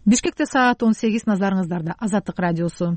Бишкекте саат 18, назарыңыздарда Азаттык радиосу.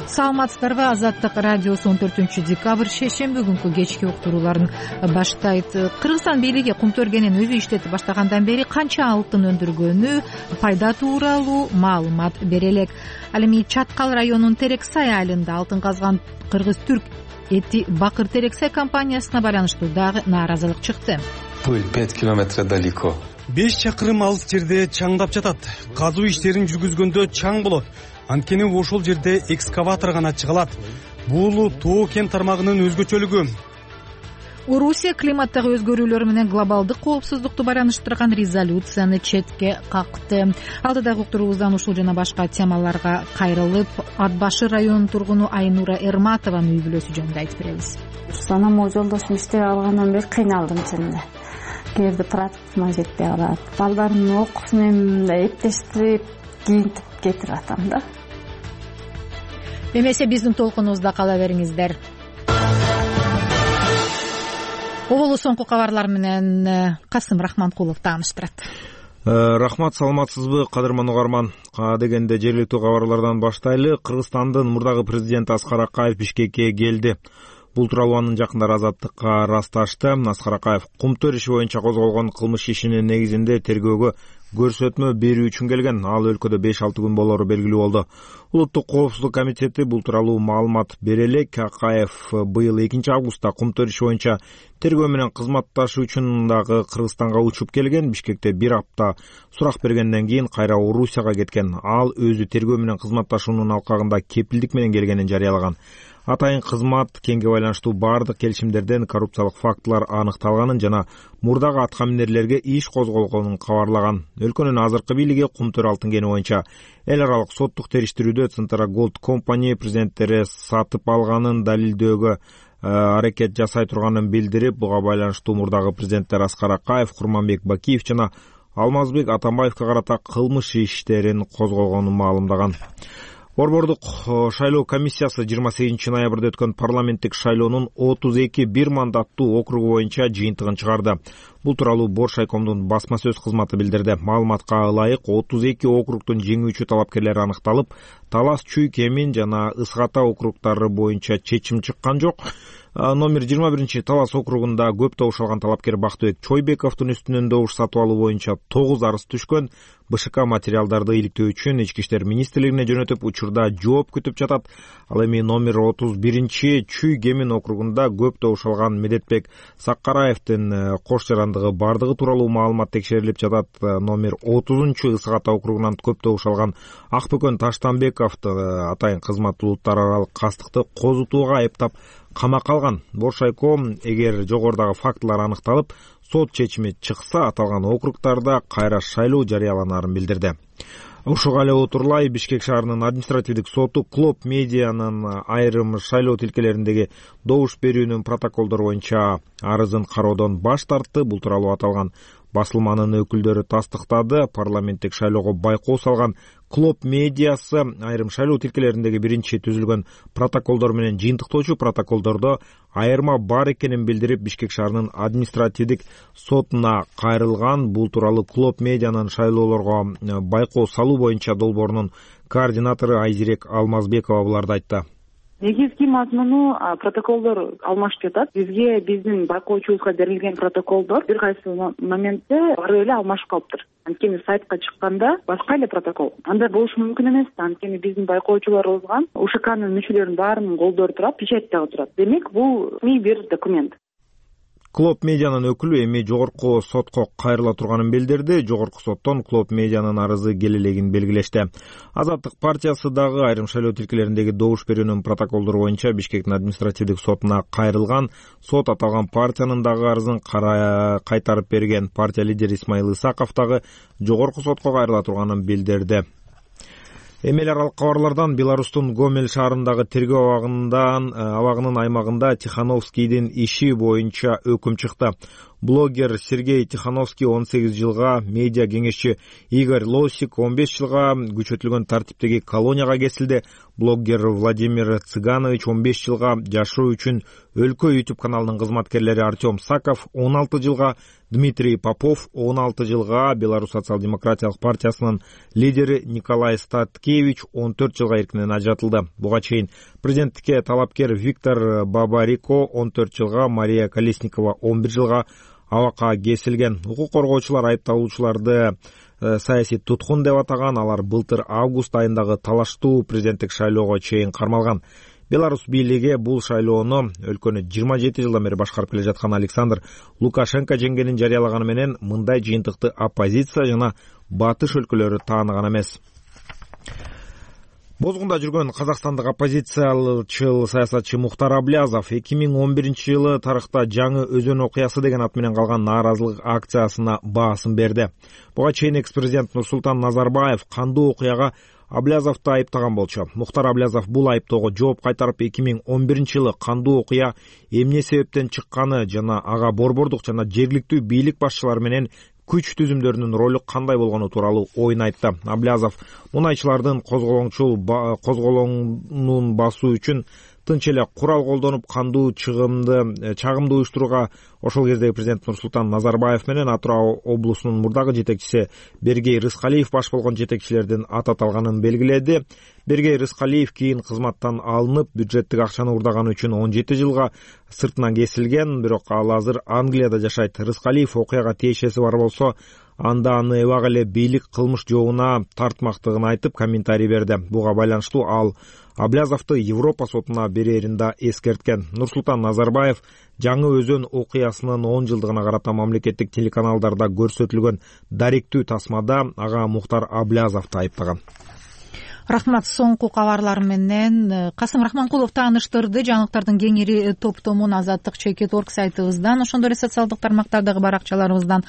Саламатсыздарбы? Азаттык радиосу 14 декабрь шейшемби күнкү кечки уктурууларын баштайт. Кыргызстан бийлиги Кумтөргенин өзү иштетип баштагандан бери канча алтын өндүргөнү пайда тууралуу маалымат бере элек. Ал эми Чаткал районунун Терексай айылында алтын казган Кыргыз-Түрк эти Бакыр Терексай компаниясына байланыштуу дагы нааразылык чыкты. 5 километр далеко. 5 чакырым алыс жерде чаңдап жатат. Казуу иштерин жүргүзгөндө чаң болот. Анткени ошол жерде экскаватор гана чыга алат. Бул тоо кен тармагынын өзгөчөлүгү. Орусия климаттагы өзгөрүүлөр менен глобалдык коопсуздукту байланыштырган резолюцияны четке какты. Алдыдагы уктуруубуздан ушул жана башка темаларга кайрылып, Ат башы районунун тургуну Айнура Эрматованын үй бүлөсү жөнүндө айтып беребиз. Анан могу жолдошум иштеп алгандан бери кыйналдым чынында. Кээде транспортума жетпей калат. Балдарымдын окуусу менен эптештирип, кийинтип кетирип атам да. Эмесе биздин толкунубузда кала бериңиздер. Оболу соңку кабарлар менен Касым Рахманкулов тааныштырат. Рахмат, саламатсызбы кадырман угарман? Дегенде жергиликтүү кабарлардан баштайлы. Кыргызстандын мурдагы президенти Аскар Акаев Бишкекке келди. Бул тууралуу анын жакындары Азаттыкка ырасташты. Аскар Акаев Кумтөр иши боюнча козголгон кылмыш ишинин негизинде тергөөгө көрсөтмө берүү үчүн келген. Ал өлкөдө 5-6 күн болору белгилүү болду. Улуттук коопсуздук комитети бул тууралуу маалымат бере элек. Акаев быйыл 2 августта Кумтөр иши боюнча тергөө менен кызматташуу үчүн дагы Кыргызстанга учуп келген. Бишкекте 1 апта сурак бергенден кийин кайра Орусияга кеткен. Ал өзү тергөө менен кызматташуунун алкагында кепилдик менен келгенин жарыялаган. Атайын кызмат кенге байланыштуу бардык келишимдерден коррупциялык фактылар аныкталганын жана мурдагы аткаминерлерге иш козголгонун кабарлаган. Өлкөнүн азыркы бийлиги Кумтөр алтын кени боюнча эл аралык соттук териштирүүдө Центра Голд компания президенттери сатып алганын далилдөөгө аракет жасай турганын билдирип, буга байланыштуу мурдагы президенттер Аскар Акаев, Курманбек Бакиев жана Алмазбек Атамбаевка карата кылмыш иштерин козгогонун маалымдаган. Борбордук шайлоо комиссиясы 28 ноябрда өткөн парламенттик шайлоонун 32 мандаттуу округу боюнча жыйынтыгын чыгарды. Бул тууралуу Боршайкомдун басма сөз кызматы билдирди. Маалыматка ылайык 32 округдун жеңүүчү талапкерлери аныкталып, Талас, Чүй, Кемин жана Ысык-Ата округдары боюнча чечим чыккан жок. Номер 21 Талас округунда көп добуш алган талапкер Бактыбек Чойбековдун үстүнөн добуш сатып алуу боюнча 9 арыз түшкөн. БШК материалдарды иликтөө үчүн Ички иштер министрлигине жөнөтүп, учурда жооп күтүп жатат. Ал эми номер 31 Чүй Кемин округунда көп добуш алган Медетбек Саккараевдин кош жарандыгы бардыгы тууралуу маалымат текшерилип жатат. Номер 30 Ысык-Ата округунан көп добуш алган Акбөкөн Таштанбековду атайын кызмат улуттар аралык кастыкты козутууга айыптап камакка алган. Боршайком эгер жогорудагы фактылар аныкталып, сот чечими чыкса, аталган округдарда кайра шайлоо жарыяланарын билдирди. Ушуга эле отурлай Бишкек шаарынын административдик соту Клоп медианын айрым шайлоо тилкелериндеги добуш берүүнүн протоколдору боюнча арызын кароодон баш тартты. Бул тууралуу аталган басылманын өкүлдөрү тастыктады. Парламенттик шайлоого байкоо салган Клоп медиасы айрым шайлоо тилкелериндеги биринчи түзүлгөн протоколдор менен жыйынтыктоочу протоколдордо айырма бар экенин билдирип, Бишкек шаарынын административдик сотуна кайрылган. Бул тууралуу Клоп медианын шайлоолорго байкоо салуу боюнча долбоорунун координатору Айзирек Алмазбекова буларды айтты. Негизги мазмуну протоколдор алмашып жатат. Бизге биздин байкоочубузга берилген протоколдор бир кайсы моментте барып эле алмашып калыптыр. Анткени сайтка чыкканда башка эле протокол. Андай болушу мүмкүн эмес. Анткени биздин байкоочуларыбызга УШКнын мүчөлөрүнүн баарынын колдору турат, печать дагы турат. Демек, бул бир документ. Клоп медианын өкүлү эми жогорку сотко кайрыла турганын билдирди. Жогорку соттон Клоп медианын арызы келелегин белгилешти. Азаттык партиясы дагы айрым шайлоо тилкелериндеги добуш берүүнүн протоколдору боюнча Бишкектин административдик сотуна кайрылган. Сот аталган партиянын дагы арызын кайтарып берген. Партия лидери Исмаил Исаков дагы жогорку сотко кайрыла турганын билдирди. Эми эл аралык кабарлардан Беларустун Гомель шаарындагы тергөө абагынын аймагында Тихановскийдин иши боюнча өкүм чыкты. блогер Сергей Тихановский 18 жылга, медиа кеңешчи Игорь Лосик 15 жылга күчөтүлгөн тартиптеги колонияга кесилди. Блогер Владимир Цыганович 15 жылга, жашоо үчүн өлкө YouTube каналынын кызматкерлери Артем Саков 16 жылга, Дмитрий Попов 16 жылга, Беларусь социал-демократиялык партиясынын лидери Николай Статкевич 14 жылга эркинен ажыратылды. Буга чейин президенттикке талапкер Виктор Бабарико 14 жылга, Мария Колесникова 11 жылга абакка кесилген. Укук коргоочулар айыпталуучуларды саясий туткун деп атаган. Алар былтыр август айындагы талаштуу президенттик шайлоого чейин кармалган. Беларусь бийлиги бул шайлоону өлкөнү 27 жылдан бери башкарып келе жаткан Александр Лукашенко жеңгенин жарыялаганы менен мындай жыйынтыкты оппозиция жана батыш өлкөлөрү тааныган эмес. Бозгунда жүргөн казакстандык оппозициячыл саясатчы Мухтар Аблязов 2011 жылы тарыхта жаңы өзөн окуясы деген ат менен калган нааразылык акциясына баасын берди. Буга чейин экс-президент Нурсултан Назарбаев кандуу окуяга Аблязовду айыптаган болчу. Мухтар Аблязов бул айыптоого жооп кайтарып 2011 жылы кандуу окуя эмне себептен чыкканы жана ага борбордук жана жергиликтүү бийлик башчылары менен күч түзүмдөрүнүн ролу кандай болгону тууралуу оюн айтты. Аблязов мунайчылардын козголоңун басуу үчүн тынч эле курал колдонуп кандуу чагымды уюштурууга ошол кездеги президент Нурсултан Назарбаев менен Атырау облусунун мурдагы жетекчиси Бергей Рыскалиев баш болгон жетекчилердин ат аталганын белгиледи. Бергей Рыскалиев кийин кызматтан алынып, бюджеттик акчаны уурдаганы үчүн 17 жылга сыртынан кесилген, бирок ал азыр Англияда жашайт. Рыскалиев окуяга тиешеси бар болсо, анда аны эбак эле бийлик кылмыш жообуна тартмактыгын айтып, комментарий берди. Буга байланыштуу ал Аблязовду Европа сотуна берерин да эскерткен. Нурсултан Назарбаев жаңы өзөн окуясынын 10 жылдыгына карата мамлекеттик телеканалдарда көрсөтүлгөн даректүү тасмада ага Мухтар Аблязовду айыптаган. Рахмат. Соңку кабарлар менен Касым Рахманкулов тааныштырды. Жаңылыктардын кеңири топтомун Азаттык Чекит.орг сайтыбыздан, ошондой эле социалдык тармактардагы баракчаларыбыздан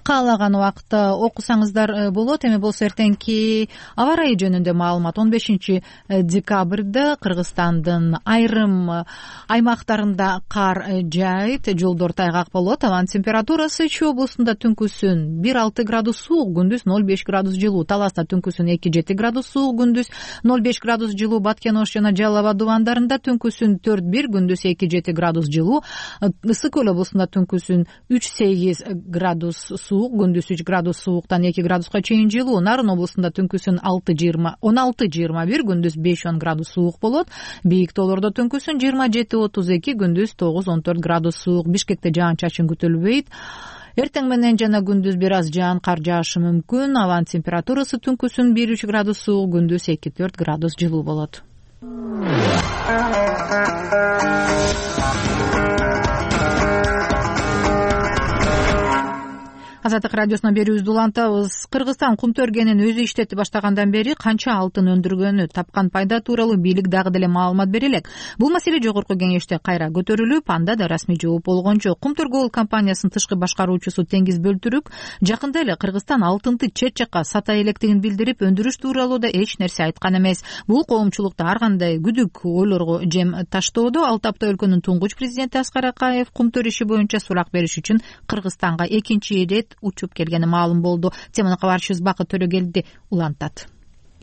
каалаган убакытта окусаңыздар болот. Эми болсо эртеңки аба ырайы жөнүндө маалымат. 15 декабрда Кыргызстандын айрым аймактарында кар жаайт, жолдор тайгак болот. Абанын температурасы Чүй облусунда түнкүсүн 1-6 градус суук, күндүз 0-5 градус жылуу. Таласта түнкүсүн 2-7 градус суук, күндүз 0-5 градус жылуу. Баткен Ош жана Жалал Абад дубандарында түнкүсүн 4-1, күндүз 2-7 градус жылуу. Ысык көл облусунда түнкүсүн 3-8 градус суук, күндүз 3 градус сууктан 2 градуска чейин жылуу. Нарын облусунда түнкүсүн 16-21, күндүз 5-10 градус суук болот. Бийик тоолордо түнкүсүн 27-32, күндүз 9-14 градус суук. Бишкекте жаан-чачын күтүлбөйт. Эртең менен жана күндүз бир аз жаан, кар жаашы мүмкүн. Абанын температурасы түнкүсүн 1-3 градус суук, күндүз 2-4 градус жылуу болот. Азаттык радиосунан берүүбүздү улантабыз. Кыргызстан кумтөргенин өзү иштетип баштагандан бери канча алтын өндүргөнү, тапкан пайда тууралуу бийлик дагы деле маалымат бере элек. Бул маселе жогорку кеңеште кайра көтөрүлүп, анда да расмий жооп болгон жок. Кумтөргө компаниясынын тышкы башкаруучусу Теңиз Бөлтүрүк жакында эле Кыргызстан алтынды чет жакка сата электигин билдирип, өндүрүш тууралуу да эч нерсе айткан эмес. Бул коомчулукта ар кандай күдүк ойлорго жем таштоодо. Ал тапта өлкөнүн туңгуч президенти Аскар Акаев кумтөр иши боюнча сурак бериш үчүн Кыргызстанга экинчи ирет учуп келгени маалым болду. Теманы кабарчыбыз Бакыт Төрөгелди улантат.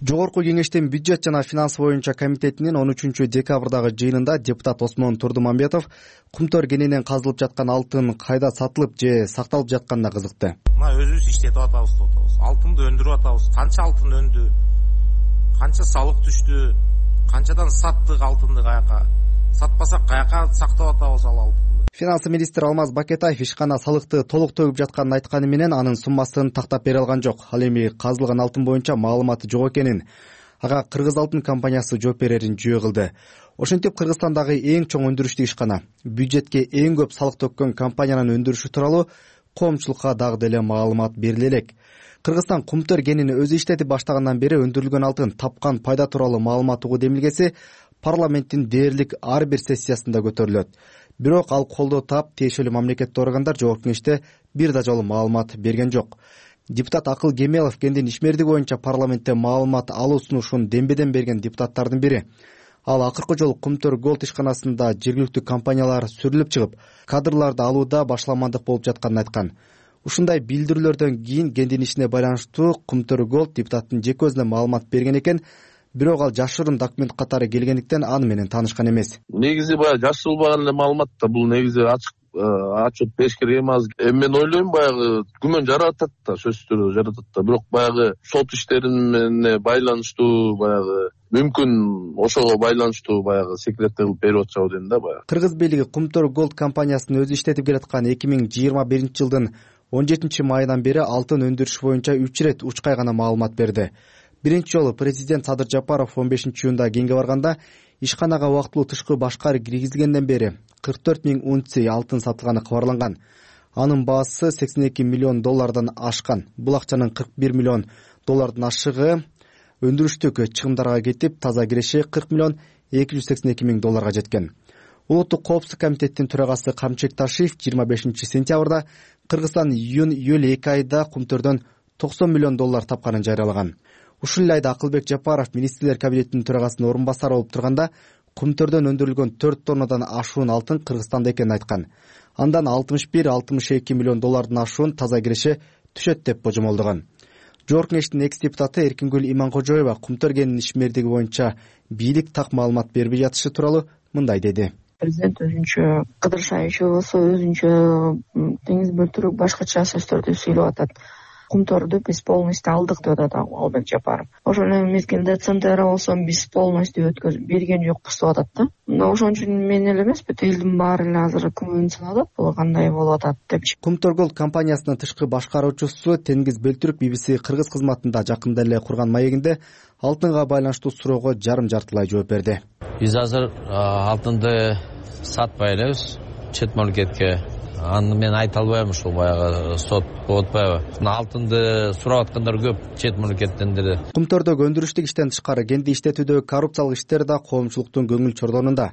Жогорку кеңештин бюджет жана финанс боюнча комитетинин 13 декабрдагы жыйынында депутат Осмон Турдумамбетов кумтөр кенинен казылып жаткан алтын кайда сатылып же сакталып жатканына кызыкты. Мына өзүбүз иштетип атабыз деп атабыз. Алтынды өндүрүп атабыз. Канча алтын өндү? Канча салык түштү? Канчадан саттык алтынды, каяка? Сатпасак каяка сактап атабыз ал алтынды? Финанс министри Алмаз Бакетаев ишкана салыкты толук төгүп жатканын айтканы менен анын суммасын тактап бере алган жок. Ал эми казылган алтын боюнча маалыматы жок экенин, ага Кыргыз алтын компаниясы жооп берерин жүйө кылды. Ошентип Кыргызстандагы эң чоң өндүрүштү ишкана, бюджетке эң көп салык төккөн компаниянын өндүрүшү тууралуу коомчулукка дагы деле маалымат бериле элек. Кыргызстан кумтөр кенин өзү иштетип баштагандан бери өндүрүлгөн алтын тапкан пайда тууралуу маалымат угуу демилгеси парламенттин дээрлик ар бир сессиясында көтөрүлөт. Бирок ал колдоо таап, тиешелүү мамлекеттик органдар жогорку кеңеште бир да жолу маалымат берген жок. Депутат Акыл Кемелов кендин ишмердиги боюнча парламентте маалымат алуу сунушун дембеден берген депутаттардын бири. Ал акыркы жолу Кумтөр Голд ишканасында жергиликтүү компаниялар сүрүлүп чыгып, кадрларды алууда башаламандык болуп жатканын айткан. Ушундай билдирүүлөрдөн кийин кендин ишине байланыштуу Кумтөр Голд депутаттын жеке өзүнө маалымат берген экен, бирок ал жашырын документ катары келгендиктен аны менен таанышкан эмес. Негизи баягы жашырылбаган эле маалымат да, бул негизи ачык отчет бериш керек эмес. Мен ойлойм баягы күмөн жаратат да, сөзсүз түрдө жаратат да. Бирок баягы сот иштерине байланыштуу баягы мүмкүн ошого байланыштуу баягы секретти кылып берип атышабы дейм да баягы. Кыргыз бийлиги Кумтөр Голд компаниясын өзү иштетип келаткан 2021-жылдын 17 майынан бери алтын өндүрүш боюнча 3 ирет учкай гана маалымат берди. Биринчи жолу президент Садыр Жапаров 15-июнда кеңге барганда ишканага убактылуу тышкы башкар киргизилгенден бери 44 000 унция алтын сатылганы кабарланган. Анын баасы $82 миллион ашкан. Бул акчанын $41 миллион ашыгы өндүрүштүк чыгымдарга кетип, таза киреши $40 миллион $282 жеткен. Улуттук коопсуздук комитеттин төрагасы Камчек Ташиев 25-сентябрда Кыргызстан июль 2 айда Кумтөрдөн $90 миллион тапканын жарыялаган. Ушул эле айда Акылбек Жапаров министрлер кабинетинин төрагасынын орун басары болуп турганда Кумтөрдөн өндүрүлгөн 4 тоннадан ашуун алтын Кыргызстанда экенин айткан. Андан $61-62 миллион ашуун таза киреши түшөт деп божомолдогон. Жогорку Кеңештин экс-депутаты Эркингүл Иманкожоева Кумтөр кенинин ишмердиги боюнча бийлик так маалымат бербей жатышы тууралуу мындай деди. Президент өзүнчө кыдыршайчу болсо, өзүнчө деңиз бөлтүрүк башкача сөздөрдү сүйлөп атат. Кумтөрдү биз полностью алдык деп атат Албек Жапаров. Ошол эле мезгилде ЦНТР болсо биз полностью өткөзүп берген жокпуз деп атат да. Мына ошон үчүн мен эле эмес, бүт элдин баары эле азыр күмөн салып атат, бул кандай болуп атат депчи. Кумтөр Голд компаниясынын тышкы башкаруучусу Тенгиз Бөлтүрүк BBC Кыргыз кызматында жакында эле курган маегинде алтынга байланыштуу суроого жарым-жартылай жооп берди. Биз азыр алтынды сатпай элебиз чет мамлекетке. Аны мен айта албайм, ушул баягы сот болуп атпайбы. Алтынды сурап аткандар көп чет мамлекеттен деле. Кумтөрдөгү өндүрүштүк иштен тышкары кенди иштетүүдөгү коррупциялык иштер да коомчулуктун көңүл чордонунда.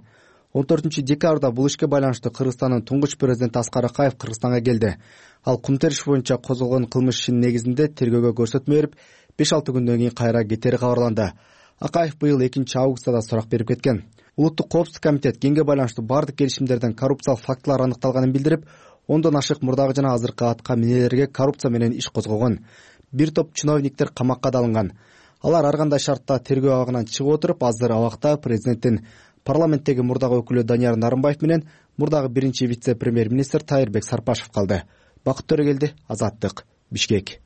14-декабрда бул ишке байланыштуу Кыргызстандын туңгуч президенти Аскар Акаев Кыргызстанга келди. Ал Кумтөр иш боюнча козголгон кылмыш ишинин негизинде тергөөгө көрсөтмө берип, 5-6 күндөн кийин кайра кетери кабарланды. Акаев быйыл 2-августта да сурак берип кеткен. Улуттук коопсуздук комитет кеңге байланыштуу бардык келишимдерден коррупциялык фактылар аныкталганын билдирип, 10дон ашык мурдагы жана азыркы атка минелерге коррупция менен иш козгогон. Бир топ чиновниктер камакка да алынган. Алар ар кандай шартта тергөө абагынан чыгып отуруп, азыр абакта президенттин парламенттеги мурдагы өкүлү Данияр Нарымбаев менен мурдагы биринчи вице-премьер-министр Тайырбек Сарпашев калды. Бакыт Төрөгелди, Азаттык, Бишкек.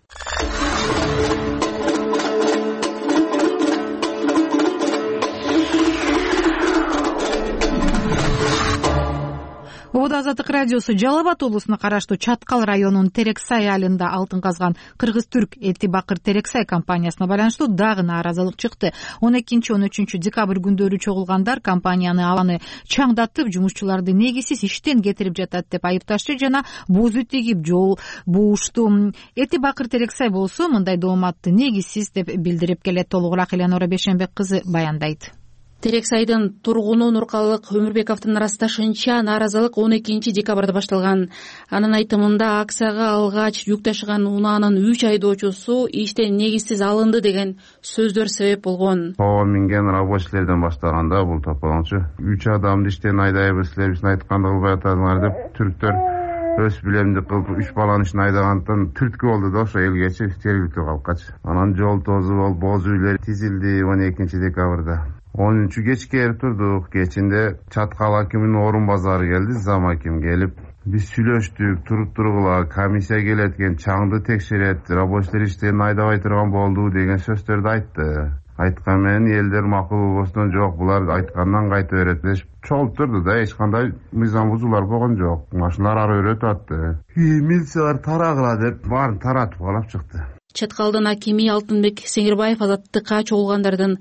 Ободо Азаттык радиосу Жалал Абад облусуна караштуу Чаткал районунун Терексай айылында алтын казган Кыргыз-Түрк Эти Бакыр Терексай компаниясына байланыштуу дагы нааразылык чыкты. 12-13 декабрь күндөрү чогулгандар компанияны абаны чаңдатып, жумушчуларды негизсиз иштен кетирип жатат деп айыпташты жана бузу тигип жол буушту. Эти Бакыр Терексай болсо мындай дооматты негизсиз деп билдирип келет. Толугураак Элянора Бешенбек кызы баяндайт. Терексайдын тургуну Нуркалык Өмүрбековдун ырасташынча нааразылык 12 декабрда башталган. Анын айтымында акцияга алгач жүк ташыган унаанын 3 айдоочусу иштен негизсиз алынды деген сөздөр себеп болгон. Минген рабочийлерден баштаганда бул тополончу 3 адамды иштен айдайбыз, силер биздин айтканды кылбай атасыңар деп түрктөр өз билемдик кылып 3 баланын ишин айдагандыктан түрткү болду да ошо элгечи жергиликтүү калкачы. Анан жол тозу болуп, боз үйлөр тизилди 12 декабрда. 13 кечке эрип турдук. Кечинде Чаткал акиминин орун базары келди, зам аким келип, биз сүйлөштүк, туруп-тургула, комиссия келет экен, чаңды текшерет, рабочийлер иштен айдабай турган болду деген сөздөрдү айтты. Айткан менен элдер макул болбостон жок, булар айткандан кайта берет деп чогулуп турду да, эч кандай мыйзам бузуулар болгон жок. Машиналар ары өрөтүп атты. Милициялар тарагыла деп баарын таратып алып чыкты. Чаткалдын акими Алтынбек Сеңирбаев Азаттыкка чогулгандардын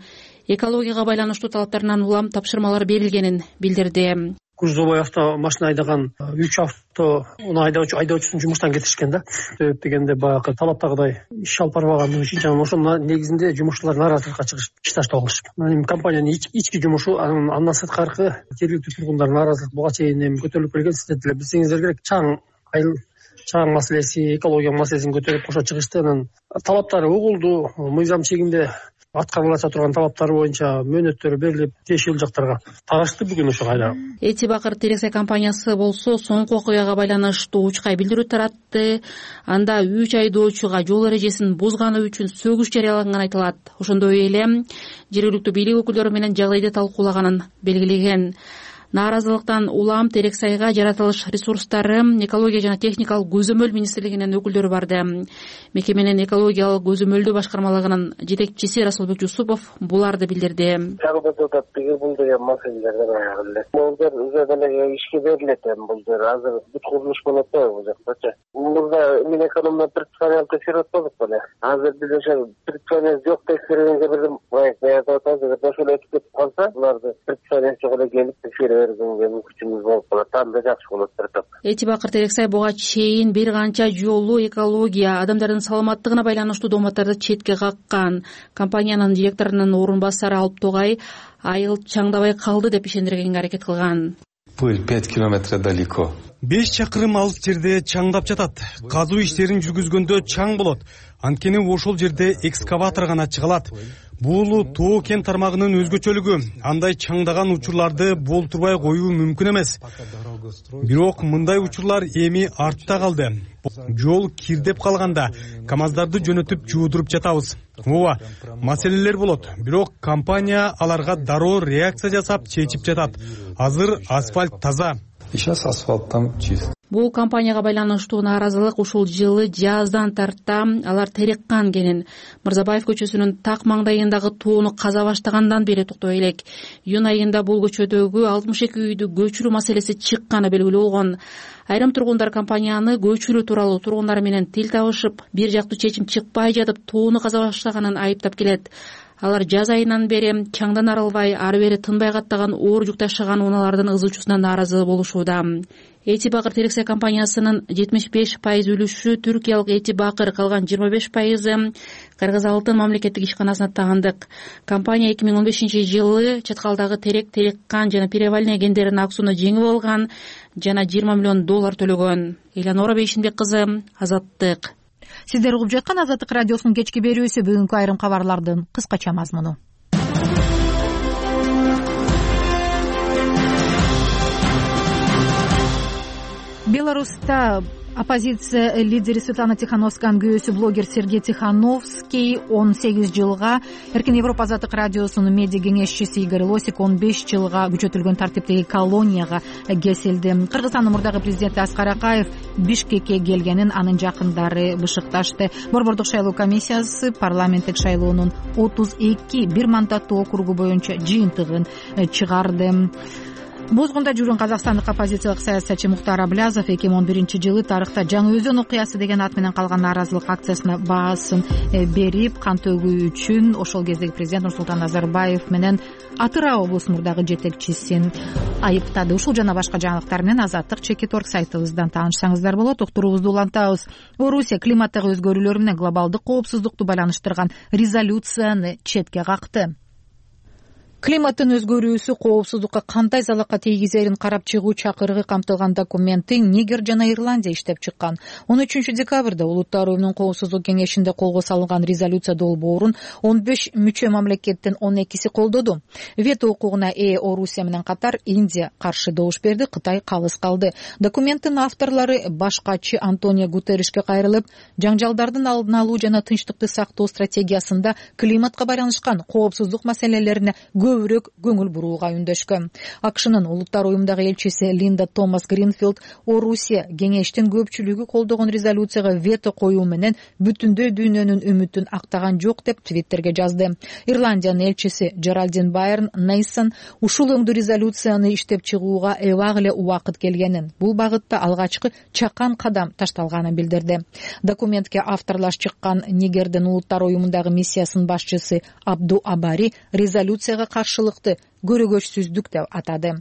экологияга байланыштуу талаптарынан улам тапшырмалар берилгенин билдирди. Грузовой автомашина айдаган 3 айдоочусун жумуштан кетишкен да. Себеп дегенде баягы талаптагыдай иш алып барбагандыгы үчүн жана ошонун негизинде жумушчулар нааразылыкка чыгышташты болушуп. Компаниянын ички жумушу, андан сырткары жергиликтүү тургундар нааразылык буга чейин көтөрүлүп келген. Сиздер деле билсеңиздер керек, чаң маселеси, экология маселесин көтөрүп кошо чыгышты. Анан талаптары угулду, мыйзам чегинде аткарылача турган талаптар боюнча мөөнөттөр берилип тиешелүү жактарга тарашты бүгүн ошо кайра. Эти Бакыр Терексай компаниясы болсо соңку окуяга байланыштуу учкай билдирүү таратты. Анда 3 айдоочуга жол эрежесин бузганы үчүн сөгүш жарыяланганы айтылат. Ошондой эле жергиликтүү бийлик өкүлдөрү менен жагдайды талкуулаганын белгилеген. Нааразылыктан улам Терексайга жаратылыш ресурстары, экология жана техникалык көзөмөл министрлигинин өкүлдөрү барды. Мекеменин экологиялык көзөмөлдөө башкармалыгынын жетекчиси Расулбек Жусупов буларды билдирди. Бул деген маселелер булдар уже деле ишке берилет эми булдар азыр бүт курулуш болот да бул жактачы. Мурда Минэкономдон предписание текшерип атпадык беле. Азыр биз ошо предписание жок текшергенге бирдим баягы атабыз ошол өтүп кетип калса, буларды предписание жок келип текшерип бергенге мүмкүнчүлүгү болуп калат. Анда жакшы болот бир топ. Эти Бакыр Терексай буга чейин бир канча жолу экология, адамдардын саламаттыгына байланыштуу дооматтарды четке каккан. Компаниянын директорунун орун басары Алып Тогай айыл чаңдабай калды деп ишендиргенге аракет кылган. Пыль 5 километра далеко. 5 чакырым алыс жерде чаңдап жатат. Казуу иштерин жүргүзгөндө чаң болот. Анткени ошол жерде экскаватор гана чыга алат. Бул тоо кен тармагынын өзгөчөлүгү. Андай чаңдаган учурларды болтурбай коюу мүмкүн эмес. Бирок мындай учурлар эми артта калды. Жол кирдеп калганда КАМАЗдарды жөнөтүп жуудуруп жатабыз. Ооба, маселелер болот. Бирок компания аларга дароо реакция жасап чечип жатат. Азыр асфальт таза. Сейчас асфальт там чист. Бул компанияга байланыштуу нааразылык ушул жылы жаздан тарта алар Тереккан кенин Мырзабаев көчөсүнүн так маңдайындагы тоону каза баштагандан бери токтой элек. Июнь айында бул көчөдөгү 62 үйдү көчүрүү маселеси чыкканы белгилүү болгон. Айрым тургундар компанияны көчүрүү тууралуу тургундар менен тил табышып, бир жактуу чечим чыкпай жатып тоону каза баштаганын айыптап келет. Алар жаз айынан бери чаңдан арылбай, ары бери тынбай каттаган оор жүк ташыган унаалардын ызуучусуна нааразы болушууда. Эти Бакыр Терексай компаниясынын 75% үлүшү түркиялык Эти Бакыр, калган 25% Кыргыз Алтын мамлекеттик ишканасына таандык. Компания 2015-жылы Чаткалдагы Терек, Тереккан жана Перевальный кендеринин аксууну жеңип алган жана $20 миллион төлөгөн. Элянора Бейшинбек кызы, Азаттык. Сиздер угуп жаткан Азаттык радиосунун кечки берүүсү. Бүгүнкү айрым кабарлардын кыскача мазмуну. Беларуста оппозиция лидери Светлана Тихановсканын күйөөсү блогер Сергей Тихановский 18 жылга, Эркин Европа Азаттык радиосунун медиа кеңешчиси Игорь Лосик 15 жылга күчөтүлгөн тартиптеги колонияга кесилди. Кыргызстандын мурдагы президенти Аскар Акаев Бишкекке келгенин анын жакындары бышыкташты. Борбордук шайлоо комиссиясы парламенттик шайлоонун 32 бир мандаттуу округу боюнча жыйынтыгын чыгарды. Бозгунда жүргөн казакстандык оппозициялык саясатчы Муктар Аблязов 2011-жылы тарыхта Жаңы Өзөн окуясы деген ат менен калган нааразылык акциясына баасын берип, кан төгүү үчүн ошол кездеги президент Нурсултан Назарбаев менен Атырау облусунун мурдагы жетекчисин айыптады. Ушул жана башка жаңылыктар менен Азаттык Чекит.орг сайтыбыздан таанышсаңыздар болот. Уктуруубузду улантабыз. Орусия климаттагы өзгөрүүлөр менен глобалдык коопсуздукту байланыштырган резолюцияны четке какты. Климаттын өзгөрүүсү коопсуздукка кандай залалга тийгизерин карап чыгуу чакырыгы камтылган документти Нигер жана Ирландия иштеп чыккан. 13 декабрда Улуттар уюмунун коопсуздук кеңешинде колго салынган резолюция долбоорун 15 мүчө мамлекеттин 12си колдоду. Вето укугуна ээ Орусия менен катар Индия каршы добуш берди, Кытай калыс калды. Документтин авторлору башкачы Антонио Гутерришке кайрылып, жаңжалдардын алдын алуу жана тынчтыкты сактоо стратегиясында климатка байланышкан коопсуздук маселелерине көбүрөөк көңүл бурууга үндөшкөн. АКШнын Улуттар уюмундагы элчиси Линда Томас Гринфилд Орусия кеңештин көпчүлүгү колдогон резолюцияга вето коюу менен бүтүндөй дүйнөнүн үмүтүн актаган жок деп Твиттерге жазды. Ирландиянын элчиси Джеральдин Байрн Нейсон ушул өңдүү резолюцияны иштеп чыгууга эбак эле убакыт келгенин, бул багытта алгачкы чакан кадам ташталганын билдирди. Документке авторлаш чыккан Нигердин Улуттар уюмундагы миссиясынын башчысы Абду Абари резолюцияга каршылыкты көрөгөчсүздүк деп атады.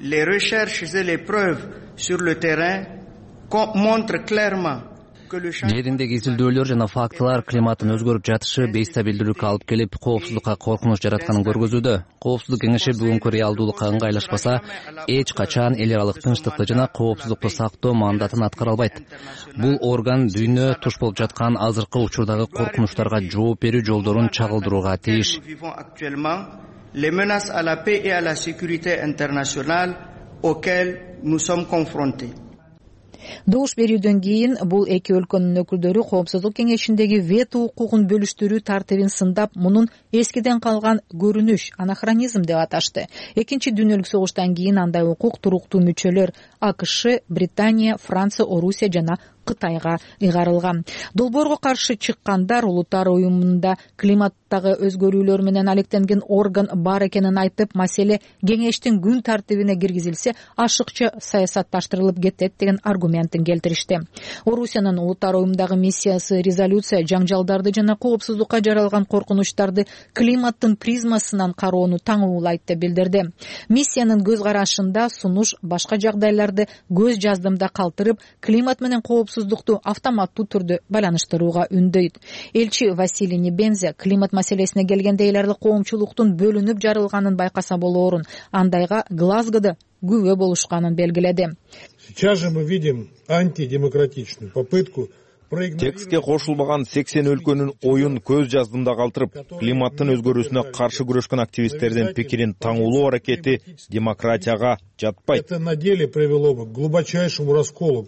Les recherches et les preuves sur le terrain montrent clairement жериндеги изилдөөлөр жана фактылар климаттын өзгөрүп жатышы бейстабилдүүлүккө алып келип, коопсуздукка коркунуч жаратканын көргөзүүдө. Коопсуздук кеңеши бүгүнкү реалдуулукка ыңгайлашпаса, эч качан эл аралык тынчтыкты жана коопсуздукту сактоо мандатын аткара албайт. Бул орган дүйнө туш болуп жаткан азыркы учурдагы коркунучтарга жооп берүү жолдорун чагылдырууга тийиш. Les menaces à la paix et à la sécurité internationale auxquelles nous sommes confrontés. Добуш берүүдөн кийин бул эки өлкөнүн өкүлдөрү Коопсуздук кеңешиндеги вето укугун бөлүштүрүү тартибин сындап, мунун эскиден калган көрүнүш, анахронизм деп аташты. Экинчи дүйнөлүк согуштан кийин андай укук туруктуу мүчөлөр АКШ, Британия, Франция, Орусия жана Кытайга ыйгарылган. Долбоорго каршы чыккандар Улуттар уюмунда климаттагы өзгөрүүлөр менен алектенген орган бар экенин айтып, маселе кеңештин күн тартибине киргизилсе, ашыкча саясатташтырылып кетет деген аргументин келтиришти. Орусиянын Улуттар уюмундагы миссиясы резолюция жаңжалдарды жана коопсуздукка жаралган коркунучтарды климаттын призмасынан кароону таңуулайт деп билдирди. Миссиянын көз карашында сунуш башка жагдайларды көз жаздымда калтырып, климат менен коопсуздукту автоматтуу түрдө байланыштырууга үндөйт. Элчи Василий Небензе климат маселесине келгенде эл аралык коомчулуктун бөлүнүп жарылганын байкаса болоорун, андайга Глазгода күбө болушканын белгиледи. Сейчас же мы видим антидемократичную попытку текстке кошулбаган 80 өлкөнүн оюн көз жаздымда калтырып, климаттын өзгөрүүсүнө каршы күрөшкөн активисттердин пикирин таңуулоо аракети демократияга жатпайт. Это на деле привело бы к глубочайшему расколу.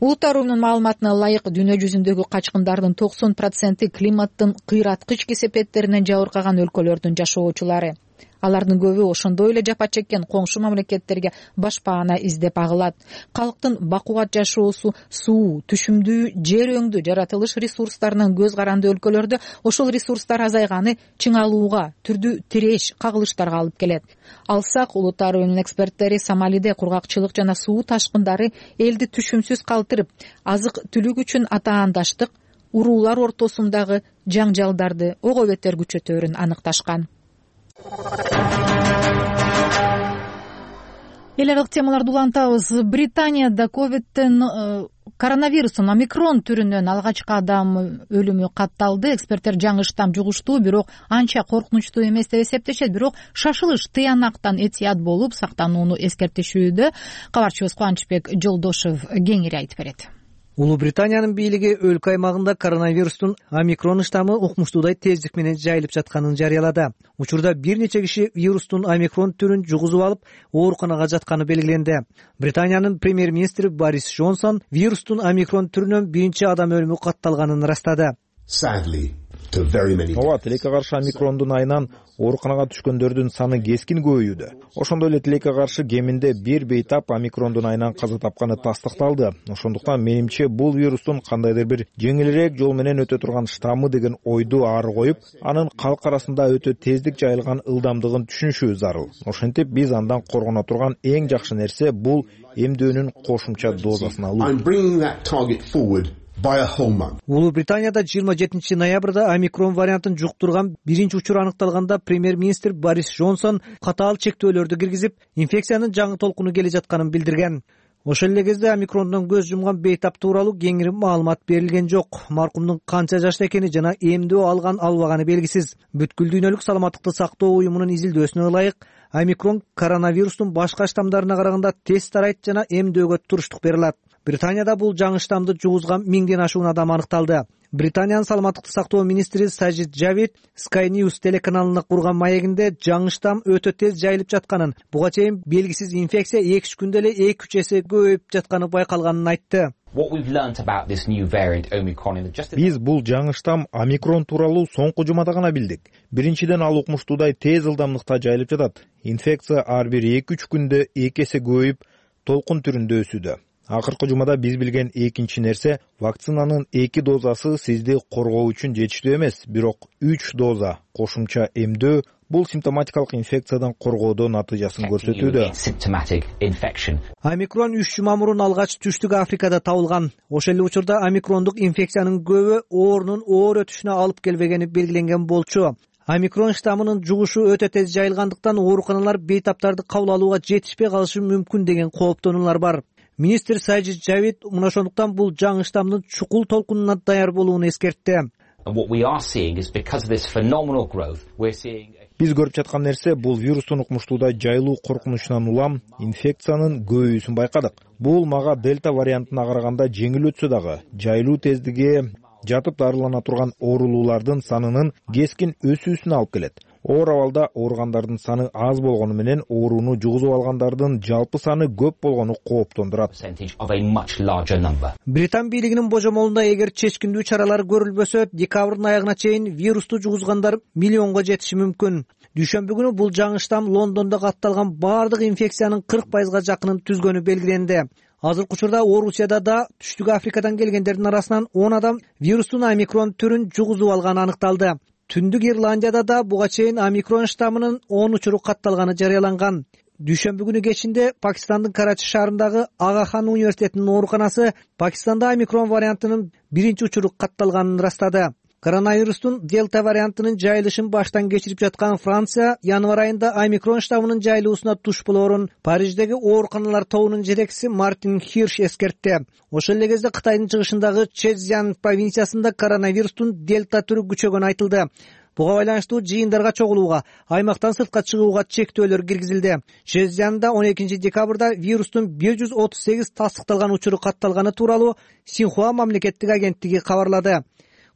Улуттар уюмунун маалыматына ылайык, дүйнө жүзүндөгү качкындардын 90% климаттын кыйраткыч кесепеттеринен жабыркаган өлкөлөрдүн жашоочулары. Алардын көбү ошондой эле жапа чеккен коңшу мамлекеттерге башпаана издеп агылат. Калктын бакубат жашоосу суу, түшүмдүү, жер өңдүү жаратылыш ресурстарынын көз каранды өлкөлөрдө ошол ресурстар азайганы чыңалууга, түрдүү тиреш, кагылыштарга алып келет. Алсак, Улуттар уюмунун эксперттери Сомалиде кургакчылык жана суу ташкындары элди түшүмсүз калтырып, азык-түлүк үчүн атаандаштык, уруулар ортосундагы жаңжалдарды ого бетер күчөтөөрүн аныкташкан. Эл аралык темаларды улантабыз. Британияда коронавирустун омикрон түрүнөн алгачкы адам өлүмү катталды. Эксперттер жаңы штамм жугуштуу, бирок анча коркунучтуу эмес деп эсептешет. Бирок шашылыш тыянактан этият болуп сактанууну эскертишүүдө. Кабарчыбыз Кубанычбек Жолдошев кеңири айтып берет. Улуу Британиянын бийлиги өлкө аймагында коронавирустун омикрон штаммы укмуштуудай тездик менен жайылып жатканын жарыялады. Учурда бир нече киши вирустун омикрон түрүн жугузуп алып, ооруканага жатканы белгиленди. Британиянын премьер-министри Борис Джонсон вирустун омикрон түрүнөн биринчи адам өлүмү катталганын ырастады. Ооба, тилекке каршы омикрондун айынан ооруканага түшкөндөрдүн саны кескин көбөйүүдө. Ошондой эле тилекке каршы кеминде бир бейтап омикрондун айынан каза тапканы тастыкталды. Ошондуктан менимче бул вирустун кандайдыр бир жеңилирээк жол менен өтө турган штаммы деген ойду ары коюп, анын калк арасында өтө тездик жайылган ылдамдыгын түшүнүшү зарыл. Ошентип биз андан коргоно турган эң жакшы нерсе бул эмдөөнүн кошумча дозасын алуу. Улуу Британияда 27 ноябрда омикрон вариантын жуктурган биринчи учур аныкталганда премьер-министр Борис Джонсон катаал чектөөлөрдү киргизип, инфекциянын жаңы толкуну келе жатканын билдирген. Ошол эле кезде омикрондон көз жумган бейтап тууралуу кеңири маалымат берилген жок. Маркумдун канча жашта экени жана эмдөө алган албаганы белгисиз. Бүткүл дүйнөлүк саламаттыкты сактоо уюмунун изилдөөсүнө ылайык, омикрон коронавирустун башка штаммдарына караганда тез тарайт жана эмдөөгө туруштук бере алат. Британияда бул жаңы штаммды жугузган 1000ден ашуун адам аныкталды. Британиянын саламаттыкты сактоо министри Сажид Джавид Sky News телеканалына курган маегинде жаңы штамм өтө тез жайылып жатканын, буга чейин белгисиз инфекция 2-3 күндө эле 2-3 эсе көбөйүп жатканы байкалганын айтты. Биз бул жаңы штамм омикрон тууралуу соңку жумада гана билдик. Биринчиден ал укмуштуудай тез ылдамдыкта жайылып жатат. Инфекция ар бир 2-3 күндө 2 эсе көбөйүп, толкун түрүндө өсүүдө. Акыркы жумада биз билген экинчи нерсе, вакцинанын 2 дозасы сизди коргоо үчүн жетиштүү эмес, бирок 3 доза кошумча эмдөө бул симптоматикалык инфекциядан коргоодо натыйжасын көрсөтүүдө. Омикрон 3 жума мурун алгач Түштүк Африкада табылган. Ошол эле учурда омикрондук инфекциянын көбү оорунун оор өтүшүнө алып келбегени белгиленген болчу. Омикрон штаммынын жугушу өтө тез жайылгандыктан ооруканалар бейтаптарды кабыл алууга жетишпей калышы мүмкүн деген кооптонуулар бар. Министр Сайжид Жавид мына ошондуктан бул жаңы штамдын чукул толкунуна даяр болууну эскертти. Биз көрүп жаткан нерсе бул вирустун укмуштуудай жайылуу коркунучунан улам инфекциянын көбөйүүсүн байкадык. Бул мага дельта вариантына караганда жеңил өтсө дагы жайылуу тездиги жатып дарылана турган оорулуулардын санынын кескин өсүүсүнө алып келет. Оор абалда ооругандардын саны аз болгону менен ооруну жугузуп алгандардын жалпы саны көп болгону кооптондурат. Британ бийлигинин божомолунда эгер чечкиндүү чаралар көрүлбөсө, декабрдын аягына чейин вирусту жугузгандар миллионго жетиши мүмкүн. Дүйшөмбү күнү бул жаңы штам Лондондо катталган бардык инфекциянын 40%га жакынын түзгөнү белгиленди. Азыркы учурда Орусияда да Түштүк Африкадан келгендердин арасынан 10 адам вирустун омикрон түрүн жугузуп алганы аныкталды. Түндүк Ирландияда да буга чейин омикрон штаммынын 10 учуру катталганы жарыяланган. Дүйшөмбү күнү кечинде Пакистандын Карачи шаарындагы Ага хан университетинин ооруканасы Пакистанда омикрон вариантынын биринчи учуру катталганын ырастады. Коронавирустун дельта вариантынын жайылышын баштан кечирип жаткан Франция январь айында омикрон штаммынын жайылуусуна туш болоорун Париждеги ооруканалар тобунун жетекчиси Мартин Хирш эскертти. Ошол эле кезде Кытайдын чыгышындагы Чжэцзян провинциясында коронавирустун дельта түрү күчөгөнү айтылды. Буга байланыштуу жыйындарга чогулууга, аймактан сыртка чыгууга чектөөлөр киргизилди. Чжэцзянда 12 декабрда вирустун 138 тастыкталган учуру катталганы тууралуу Синьхуа мамлекеттик агенттиги кабарлады.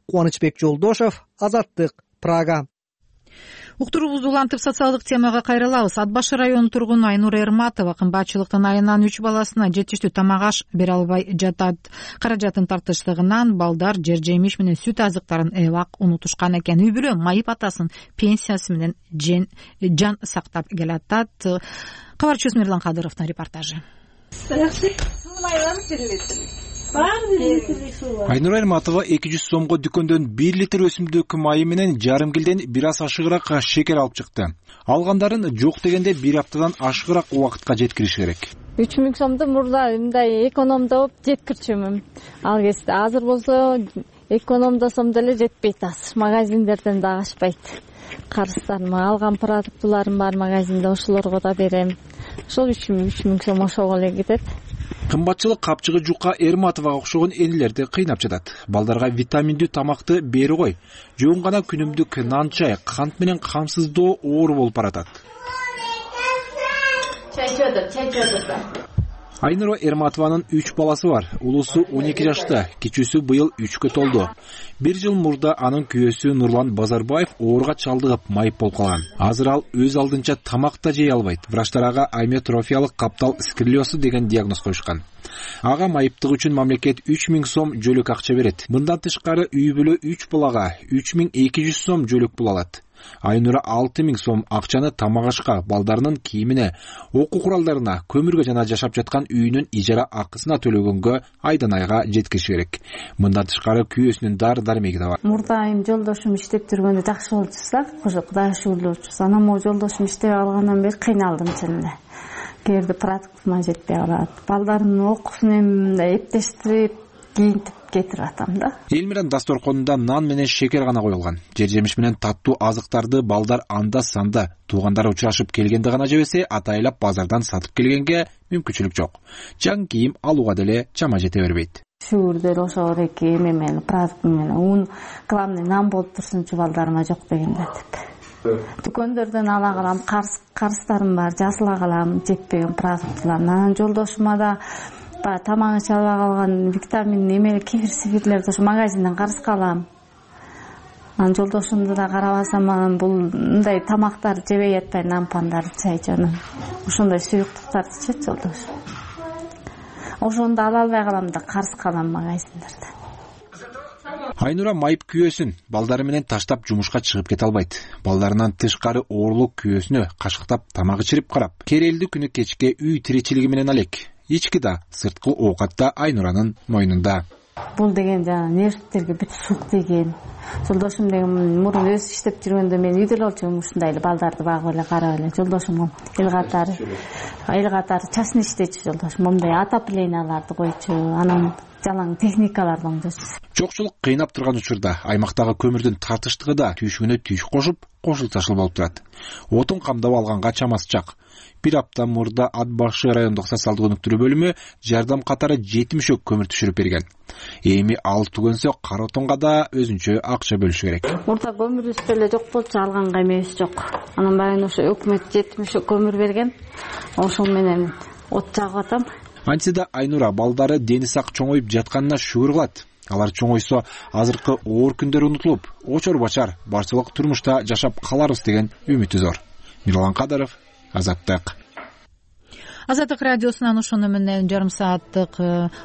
Кубанычбек Жолдошов, Азаттык, Прага. Уктуруубузду улантып социалдык темага кайрылабыз. Ат башы районунун тургуну Айнура Эрматова кымбатчылыктын айынан 3 баласына жетиштүү тамак аш бере албай жатат. Каражатын тартыштыгынан балдар жер жемиш менен сүт азыктарын эбак унутушкан экен. Үй бүлө майып атасын пенсиясы менен жан сактап келатат. Кабарчыбыз Мирлан Кадыровдун репортажы. Айнура Эрматова 200 сомго дүкөндөн 1 литр өсүмдүк майы менен жарым килден бир аз ашыгыраак шекер алып чыкты. Алгандарын жок дегенде 1 аптадан ашыгыраак убакытка жеткириш керек. 3000 сомду мурда мындай экономдоп жеткирчүмүн. Ал кезде азыр болсо экономдосом деле жетпейт азыр. Магазиндерден да ашпайт. Карыздарым алган продуктуларым бар магазинде, ошолорго да берем. Ошол 3000 сом ошого эле кетет. Кымбатчылык капчыгы жука Эрматовага окшогон энелерди кыйнап жатат. Балдарга витаминдүү тамакты бери кой. Жөн гана күнүмдүк нан чай, кант менен камсыздоо оор болуп баратат. Чай. Айнура Эрматованын 3 баласы бар. Улусу 12 жашта, кичүүсү быйыл 3кө толду. 1 жыл мурда анын күйөөсү Нурлан Базарбаев ооруга чалдыгып майып болуп калган. Азыр ал өз алдынча тамак да жей албайт. Врачтар ага аметрофиялык каптал сколиозу деген диагноз коюшкан. Ага майыптык үчүн мамлекет 3000 сом жөлөк акча берет. Мындан тышкары үй бүлө 3 балага 3200 сом жөлөк пул алат. Айнура 6000 сом акчаны тамак ашка, балдарынын кийимине, окуу куралдарына, көмүргө жана жашап жаткан үйүнүн ижара акысына төлөгөнгө айдан айга жеткириш керек. Мындан тышкары күйөөсүнүн дары-дармеги да бар. Мурда айым жолдошум иштеп жүргөндө жакшы болуп жатса, Кудайга шүгүрлөр болчу. Анан могу жолдошум иштеп алгандан бери кыйналдым чынында. Кээде продуктума жетпей калат. Балдарымдын окуусун мындай эптештирип, кийинтип кетирип атам да. Элмиран дасторконунда нан менен шекер гана коюлган. Жер жемиш менен таттуу азыктарды балдар анда-санда туугандары учурашып келгенде гана жебесе, атайлап базардан сатып келгенге мүмкүнчүлүк жок. Жаңы кийим алууга деле чама жете бербейт. Шүгүрдөр ошол эки эме менен продукт менен ун главный нан болуп турсунчу балдарыма жок дегенде деп. Дүкөндөрдөн ала калам, карыздарым бар, жасыла калам жетпеген продуктларны. Анан жолдошума да тамагын чала калган витамин эмели кефир-сифирлерди ошо магазинден карызга алам. Анан жолдошумду да карабасам, анан бул мындай тамактарды жебей атпай, нан пандар, чай жаным. Ошондой суюктуктарды ичет жолдош. Ошондо ала албай калам да карызга алам магазиндерден. Айнура майып күйөөсүн балдары менен таштап жумушка чыгып кете албайт. Балдарынан тышкары оорлук күйөөсүнө кашыктап тамак ичирип карап, керелди күнү кечке үй тиричилиги менен алек. Ички да, сырткы оокат да Айнуранын мойнунда. Бул деген жана нервтерге бүт сук деген. Жолдошум деген мурун өзү иштеп жүргөндө мен үйдө эле болчумун, ушундай эле балдарды багып эле карап эле. Жолдошум эл катары частный иштечү жолдошум. Момундай отопленияларды койчу. Анан жалаң техникалардан жүрсүз. Жокчулук кыйнап турган учурда аймактагы көмүрдүн тартыштыгы да түйшүгүнө түйшүк кошуп, кошул ташыл болуп турат. Отун камдап алганга чамасы жак. Бир апта мурда Ат башы райондук социалдык өнүктүрүү бөлүмү жардам катары 7 мешок көмүр түшүрүп берген. Эми ал түгөнсө кара отунга да өзүнчө акча бөлүш керек. Мурда көмүрүбүз деле жок болчу, алганга эмебиз жок. Анан баягы ошо өкмөт 7 мешок көмүр берген. Ошол менен от жагып атам. Антсе да Айнура балдары дени сак чоңоюп жатканына шүгүр кылат. Алар чоңойсо азыркы оор күндөр унутулуп, очор бачар барчылык турмушта жашап каларбыз деген үмүтү зор. Мирлан Кадыров, Азаттык. Азаттык радиосунан ошону менен жарым сааттык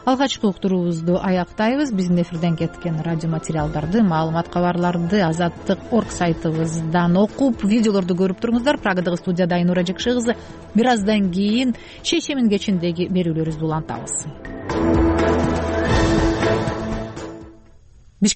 алгачкы уктуруубузду аяктайбыз. Биздин эфирден кеткен радио материалдарды, маалымат кабарларды Азаттык.org сайтыбыздан окуп, видеолорду көрүп туруңуздар. Прагадагы студияда Айнура Жекши кызы. Бир аздан кийин Шейшемин кечиндеги берүүлөрүбүздү улантабыз.